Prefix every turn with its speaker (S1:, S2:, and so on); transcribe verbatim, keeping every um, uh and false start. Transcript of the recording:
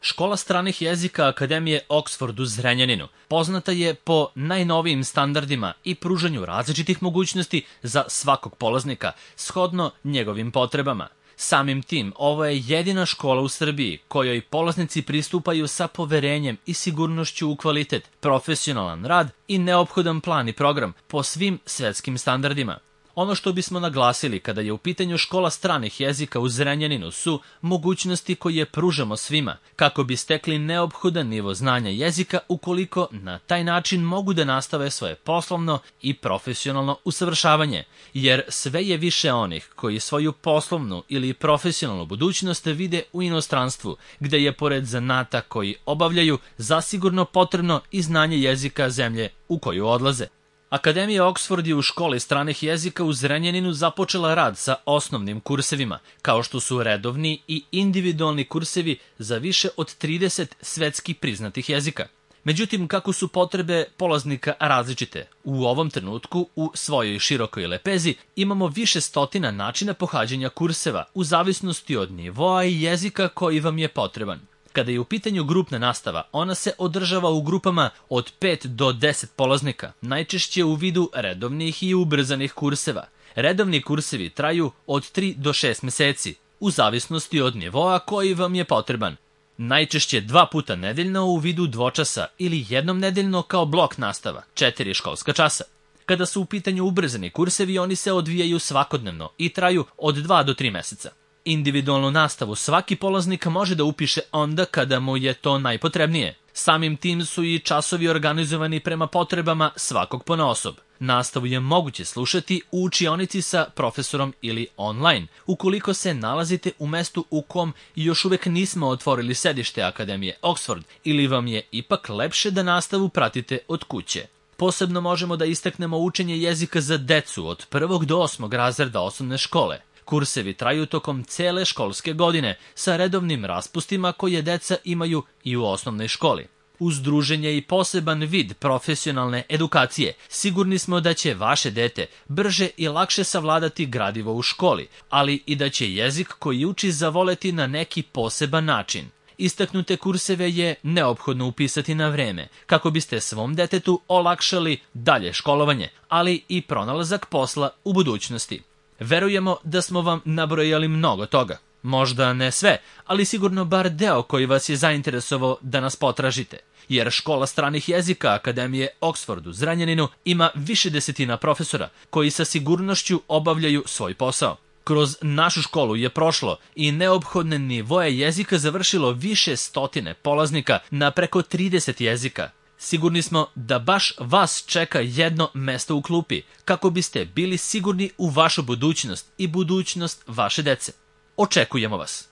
S1: Škola stranih jezika Akademije Oxford u Zrenjaninu poznata je po najnovijim standardima i pružanju različitih mogućnosti za svakog polaznika, shodno njegovim potrebama. Samim tim, ovo je jedina škola u Srbiji kojoj polaznici pristupaju sa poverenjem i sigurnošću u kvalitet, profesionalan rad i neophodan plan i program po svim svetskim standardima. Ono što bismo naglasili kada je u pitanju škola stranih jezika u Zrenjaninu su mogućnosti koje pružamo svima kako bi stekli neophodan nivo znanja jezika ukoliko na taj način mogu da nastave svoje poslovno i profesionalno usavršavanje, jer sve je više onih koji svoju poslovnu ili profesionalnu budućnost vide u inostranstvu, gde je pored zanata koji obavljaju zasigurno potrebno i znanje jezika zemlje u koju odlaze. Akademija Oxford je u školi stranih jezika u Zrenjaninu započela rad sa osnovnim kursevima, kao što su redovni i individualni kursevi za više od trideset svetski priznatih jezika. Međutim, kako su potrebe polaznika različite, u ovom trenutku u svojoj širokoj lepezi imamo više stotina načina pohađanja kurseva u zavisnosti od nivoa i jezika koji vam je potreban. Kada je u pitanju grupna nastava, ona se održava u grupama od pet do deset polaznika, najčešće u vidu redovnih i ubrzanih kurseva. Redovni kursevi traju od tri do šest meseci, u zavisnosti od nivoa koji vam je potreban. Najčešće dva puta nedeljno u vidu dvočasa ili jednom nedeljno kao blok nastava, četiri školska časa. Kada su u pitanju ubrzani kursevi, oni se odvijaju svakodnevno i traju od dva do tri meseca. Individualnu nastavu svaki polaznik može da upiše onda kada mu je to najpotrebnije. Samim tim su i časovi organizovani prema potrebama svakog ponaosob. Nastavu je moguće slušati u učionici sa profesorom ili online, ukoliko se nalazite u mestu u kom još uvek nismo otvorili sedište Akademije Oxford ili vam je ipak lepše da nastavu pratite od kuće. Posebno možemo da istaknemo učenje jezika za decu od prvog do osmog razreda osnovne škole. Kursevi traju tokom cele školske godine sa redovnim raspustima koje deca imaju i u osnovnoj školi. Uz druženje i poseban vid profesionalne edukacije, sigurni smo da će vaše dete brže i lakše savladati gradivo u školi, ali i da će jezik koji uči zavoleti na neki poseban način. Istaknute kurseve je neophodno upisati na vreme, kako biste svom detetu olakšali dalje školovanje, ali i pronalazak posla u budućnosti. Verujemo da smo vam nabrojali mnogo toga. Možda ne sve, ali sigurno bar deo koji vas je zainteresovao da nas potražite. Jer škola stranih jezika Akademije Oxford u Zrenjaninu ima više desetina profesora koji sa sigurnošću obavljaju svoj posao. Kroz našu školu je prošlo i neophodne nivoje jezika završilo više stotine polaznika na preko trideset jezika. Sigurni smo da baš vas čeka jedno mesto u klupi, kako biste bili sigurni u vašu budućnost i budućnost vaše dece. Očekujemo vas!